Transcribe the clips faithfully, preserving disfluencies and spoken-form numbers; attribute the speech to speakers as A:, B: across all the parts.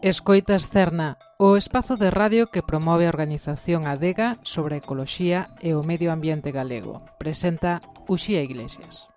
A: Escoitas Cerna, o espazo de radio que promove a organización Adega sobre a ecoloxía e o medio ambiente galego. Presenta Uxía Iglesias.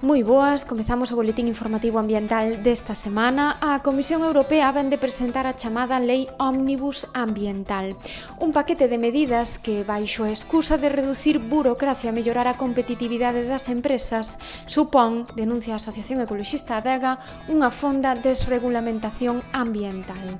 B: Moi boas, comezamos o boletín informativo ambiental desta semana. A Comisión Europea vén de presentar a chamada Lei Ómnibus Ambiental, un paquete de medidas que, baixo a excusa de reducir burocracia e mellorar a competitividade das empresas, supón, denuncia a Asociación Ecoloxista Adega, unha fonda desregulamentación ambiental.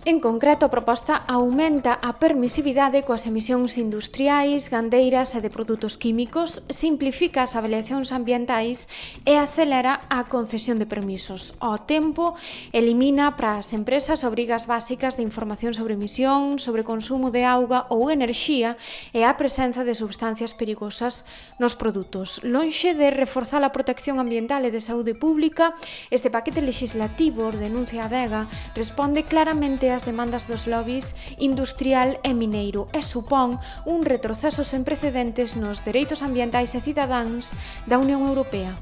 B: En concreto, a proposta aumenta a permisividade coas emisións industriais, gandeiras e de produtos químicos, simplifica as avaliacións ambientais e acelera a concesión de permisos. Ao tempo, elimina para as empresas obrigas básicas de información sobre emisión, sobre consumo de auga ou enerxía e a presenza de substancias perigosas nos produtos. Lonxe de reforzar a protección ambiental e de saúde pública, este paquete legislativo, denuncia Adega, responde claramente a as demandas dos lobbies industrial e mineiro e supón un retroceso sen precedentes nos dereitos ambientais e cidadáns da Unión Europea.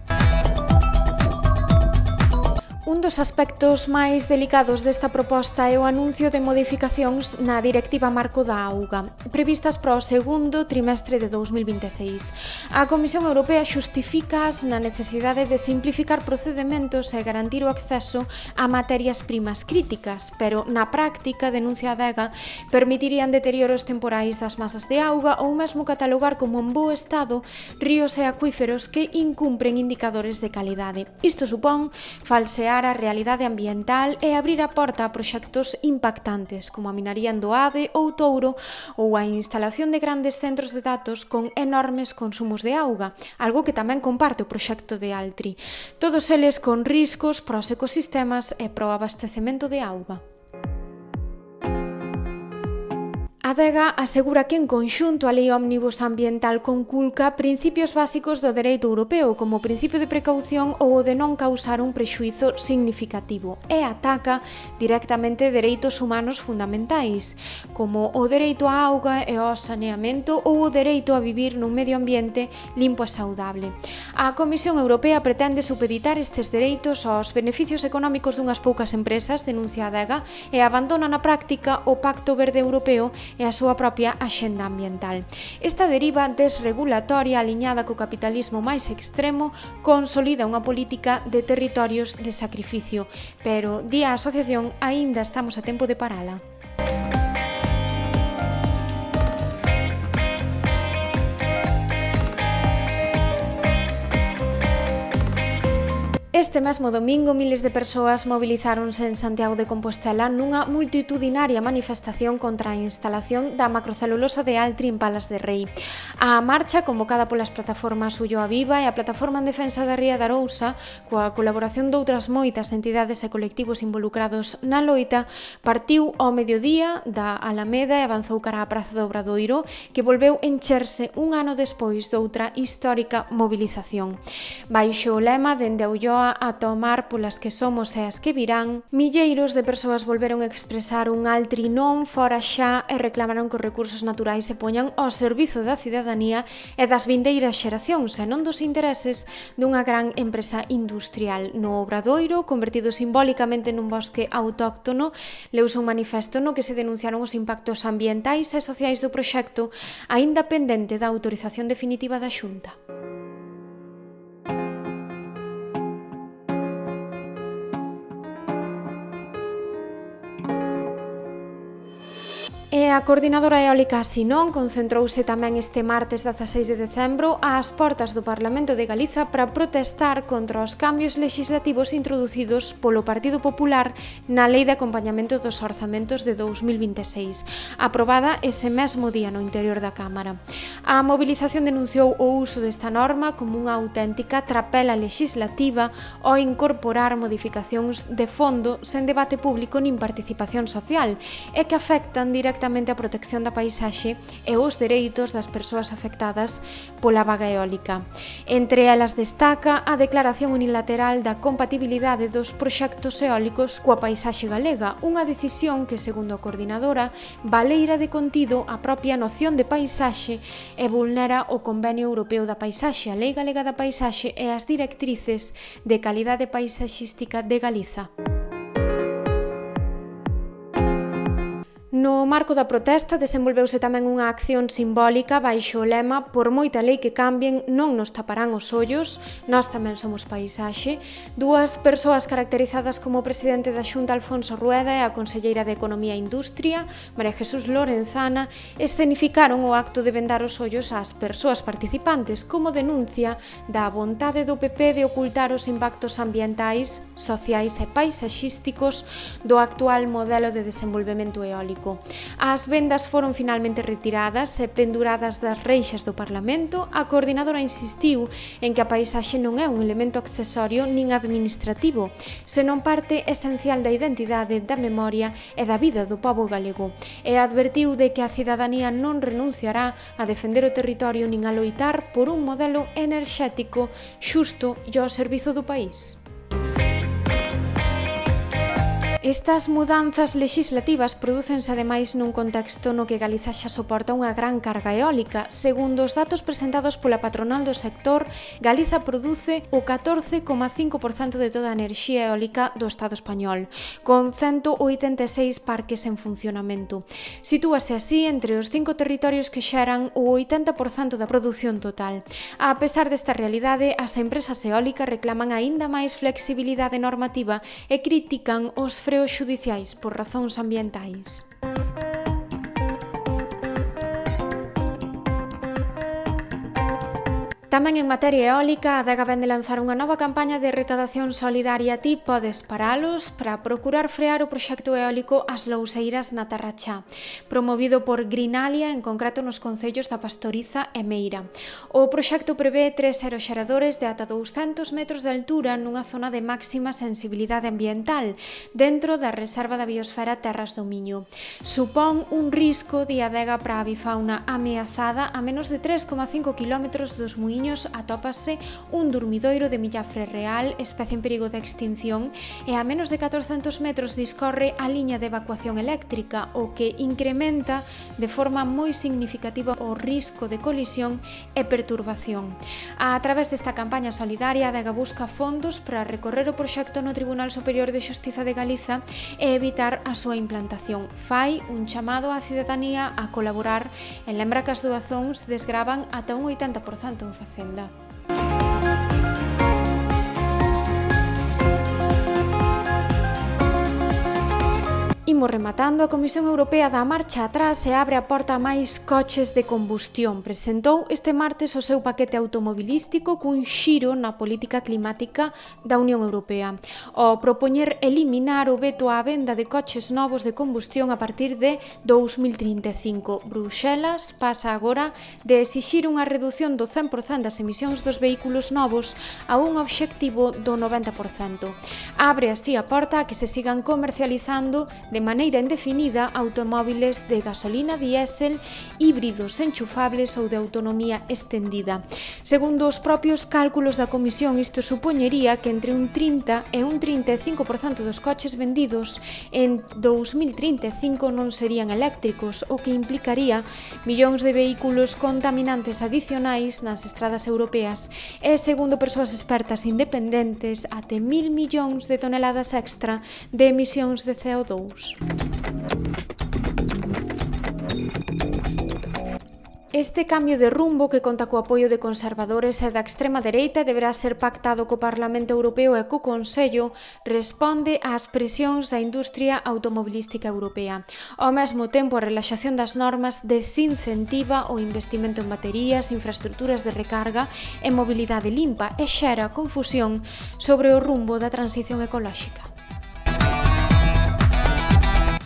B: Un dos aspectos máis delicados desta proposta é o anuncio de modificacións na Directiva Marco da Auga, previstas para o segundo trimestre de dous mil vinte e seis. A Comisión Europea xustifícaas na necesidade de simplificar procedementos e garantir o acceso a materias primas críticas, pero na práctica, denuncia a Adega, permitirían deterioros temporais das masas de auga ou mesmo catalogar como en bo estado ríos e acuíferos que incumpren indicadores de calidade. Isto supón falsear a realidade ambiental e abrir a porta a proxectos impactantes como a minaría en Doade ou Touro ou a instalación de grandes centros de datos con enormes consumos de auga, algo que tamén comparte o proxecto de Altri. Todos eles con riscos para os ecosistemas e para o abastecemento de auga. Adega asegura que en conxunto a Lei Ómnibus Ambiental conculca principios básicos do dereito europeo como o principio de precaución ou o de non causar un prexuízo significativo e ataca directamente dereitos humanos fundamentais como o dereito á auga e ao saneamento ou o dereito a vivir nun medio ambiente limpo e saudable. A Comisión Europea pretende supeditar estes dereitos aos beneficios económicos dunhas poucas empresas, denuncia Adega, e abandona na práctica o Pacto Verde Europeo e a súa propia axenda ambiental. Esta deriva desregulatoria aliñada co capitalismo máis extremo consolida unha política de territorios de sacrificio, pero, di a asociación, aínda estamos a tempo de parala. Este mesmo domingo, miles de persoas mobilizáronse en Santiago de Compostela nunha multitudinaria manifestación contra a instalación da macrocelulosa de Altri en Palas de Rei. A marcha, convocada polas plataformas Ulloa Viva e a Plataforma en Defensa da Ría de Arousa, coa colaboración doutras moitas entidades e colectivos involucrados na loita, partiu ao mediodía da Alameda e avanzou cara á Praza do Obradoiro, que volveu encherse un ano despois doutra histórica mobilización. Baixo o lema dende a Ulloa a tomar polas que somos e as que virán, milleiros de persoas volveron a expresar un Altri non fora xa e reclamaron que os recursos naturais se poñan ao servizo da cidadanía e das vindeiras xeracións e non dos intereses dunha gran empresa industrial. No Obradoiro, convertido simbólicamente nun bosque autóctono, leuse un manifesto no que se denunciaron os impactos ambientais e sociais do proxecto, aínda pendente da autorización definitiva da Xunta. E a Coordinadora Eólica Sinón concentrouse tamén este martes dezaseis de decembro ás portas do Parlamento de Galiza para protestar contra os cambios legislativos introducidos polo Partido Popular na Lei de Acompañamento dos Orzamentos de dous mil vinte e seis, aprobada ese mesmo día no interior da Cámara. A mobilización denunciou o uso desta norma como unha auténtica trapela legislativa ao incorporar modificacións de fondo sen debate público nin participación social e que afectan directamente concretamente a protección da paisaxe e os dereitos das persoas afectadas pola vaga eólica. Entre elas destaca a declaración unilateral da compatibilidade dos proxectos eólicos coa paisaxe galega, unha decisión que, segundo a coordinadora, baleira de contido a propia noción de paisaxe e vulnera o Convenio Europeo da Paisaxe, a Lei Galega da Paisaxe e as directrices de calidade paisaxística de Galiza. No marco da protesta desenvolveuse tamén unha acción simbólica baixo o lema "Por moita lei que cambien, non nos taparán os ollos, nós tamén somos paisaxe". Dúas persoas caracterizadas como o presidente da Xunta, Alfonso Rueda, e a conselleira de Economía e Industria, María Jesús Lorenzana, escenificaron o acto de vendar os ollos ás persoas participantes como denuncia da vontade do P P de ocultar os impactos ambientais, sociais e paisaxísticos do actual modelo de desenvolvemento eólico. As vendas foron finalmente retiradas e penduradas das reixas do Parlamento. A coordinadora insistiu en que a paisaxe non é un elemento accesorio nin administrativo, senón parte esencial da identidade, da memoria e da vida do pobo galego, e advertiu de que a cidadanía non renunciará a defender o territorio nin a loitar por un modelo enerxético xusto e ao servizo do país. Estas mudanzas legislativas prodúcense ademais nun contexto no que Galiza xa soporta unha gran carga eólica. Segundo os datos presentados pola patronal do sector, Galiza produce o catorce coma cinco por cento de toda a enerxía eólica do Estado español, con ciento oitenta e seis parques en funcionamento. Sitúase así entre os cinco territorios que xeran o oitenta por cento da produción total. A pesar desta realidade, as empresas eólicas reclaman aínda máis flexibilidade normativa e critican os freos xudiciais por razóns ambientais. Tamén en materia eólica, a Adega vén de lanzar unha nova campaña de recadación solidaria Ti podes paralos para procurar frear o proxecto eólico As Louseiras na Tarrachá, promovido por Greenalia, en concreto nos concellos da Pastoriza e Meira. O proxecto prevé tres aeroxeradores de ata douscentos metros de altura nunha zona de máxima sensibilidade ambiental, dentro da Reserva da Biosfera Terras do Miño. Supón un risco de adega para a avifauna ameazada. A menos de tres coma cinco kilómetros dos muíños atópase un durmidoiro de millafre real, especie en perigo de extinción, e a menos de catorcentos metros discorre a liña de evacuación eléctrica, o que incrementa de forma moi significativa o risco de colisión e perturbación. A través desta campaña solidaria, a Adega busca fondos para recorrer o proxecto no Tribunal Superior de Xustiza de Galiza e evitar a súa implantación. Fai un chamado á cidadanía a colaborar e lembra que as doazóns desgravan ata un oitenta por cento en Facenda. Imos rematando. A Comisión Europea dá marcha atrás e abre a porta a máis coches de combustión. Presentou este martes o seu paquete automobilístico cun xiro na política climática da Unión Europea. O propoñer eliminar o veto á venda de coches novos de combustión a partir de dous mil trinta e cinco. Bruxelas pasa agora de exixir unha redución do cen por cento das emisións dos vehículos novos a un obxectivo do noventa por cento. Abre así a porta a que se sigan comercializando de maneira indefinida automóviles de gasolina, diésel, híbridos enchufables ou de autonomía extendida. Segundo os propios cálculos da Comisión, isto supoñería que entre un trinta e un trinta e cinco por cento dos coches vendidos en dous mil trinta e cinco non serían eléctricos, o que implicaría millóns de vehículos contaminantes adicionais nas estradas europeas e, segundo persoas expertas independentes, até mil millóns de toneladas extra de emisións de C O dous. Este cambio de rumbo, que conta co apoio de conservadores e da extrema dereita, deberá ser pactado co Parlamento Europeo e co Consello, responde ás presións da industria automobilística europea. Ao mesmo tempo, a relaxación das normas desincentiva o investimento en baterías, infraestructuras de recarga e mobilidade limpa e xera confusión sobre o rumbo da transición ecolóxica.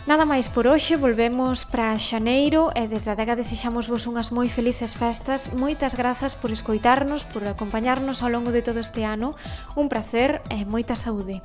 B: Nada máis por hoxe, volvemos para xaneiro e desde a Adega desexamos vos unhas moi felices festas. Moitas grazas por escoitarnos, por acompañarnos ao longo de todo este ano. Un prazer e moita saúde.